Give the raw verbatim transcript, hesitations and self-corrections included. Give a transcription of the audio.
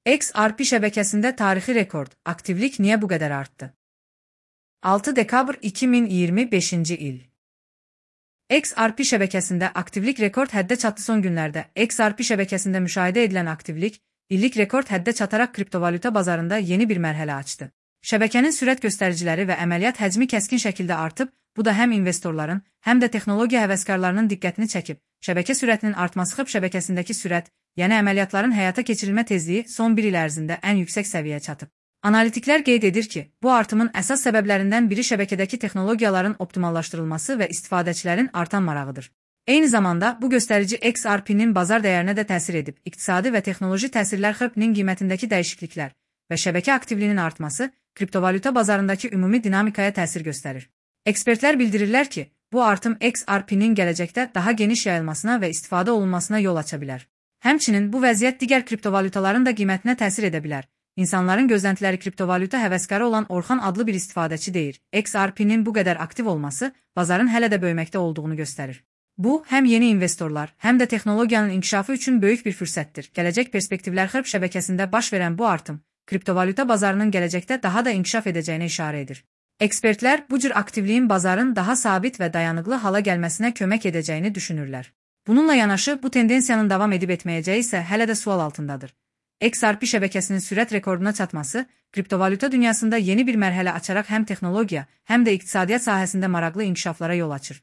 X R P şəbəkəsində tarixi rekord, aktivlik niyə bu qədər artdı? altı dekabr iki min iyirmi beşinci il. X R P şəbəkəsində aktivlik rekord həddə çatdı. Son günlərdə X R P şəbəkəsində müşahidə edilən aktivlik, illik rekord həddə çataraq kriptovalyuta bazarında yeni bir mərhələ açdı. Şəbəkənin sürət göstəriciləri və əməliyyat həcmi kəskin şəkildə artıb, bu da həm investorların, həm də texnologiya həvəskarlarının diqqətini çəkib. Şəbəkə sürətinin artması xəb şəbəkəsindəki sürət, yəni əməliyyatların həyata keçirilmə tezliyi son bir il ərzində ən yüksək səviyyəyə çatıb. Analitiklər qeyd edir ki, bu artımın əsas səbəblərindən biri şəbəkədəki texnologiyaların optimallaşdırılması və istifadəçilərin artan marağıdır. Eyni zamanda, bu göstərici X R P-nin bazar dəyərinə də təsir edib. İqtisadi və texnoloji təsirlər xəbinin qiymətindəki dəyişikliklər və şəbəkə aktivliyinin artması kriptovalyuta bazarındakı ümumi dinamikaya təsir göstərir. Ekspertlər bildirirlər ki, bu artım X R P-nin gələcəkdə daha geniş yayılmasına və istifadə olunmasına yol aça bilər. Həmçinin bu vəziyyət digər kriptovalyutaların da qiymətinə təsir edə bilər. İnsanların gözləntiləri kriptovalyuta həvəskarı olan Orxan adlı bir istifadəçi deyir. X R P-nin bu qədər aktiv olması bazarın hələ də böyüməkdə olduğunu göstərir. Bu, həm yeni investorlar, həm də texnologiyanın inkişafı üçün böyük bir fürsətdir. Gələcək perspektivlər xərb şəbəkəsində baş verən bu artım, kriptovalyuta bazarının gələcəkdə daha da inkişaf edəcəyinə işarə edir. Ekspertlər bu cür aktivliyin bazarın daha sabit və dayanıqlı hala gəlməsinə kömək edəcəyini düşünürlər. Bununla yanaşı, bu tendensiyanın davam edib etməyəcəyi isə hələ də sual altındadır. X R P şəbəkəsinin sürət rekorduna çatması, kriptovalyuta dünyasında yeni bir mərhələ açaraq həm texnologiya, həm də iqtisadiyyat sahəsində maraqlı inkişaflara yol açır.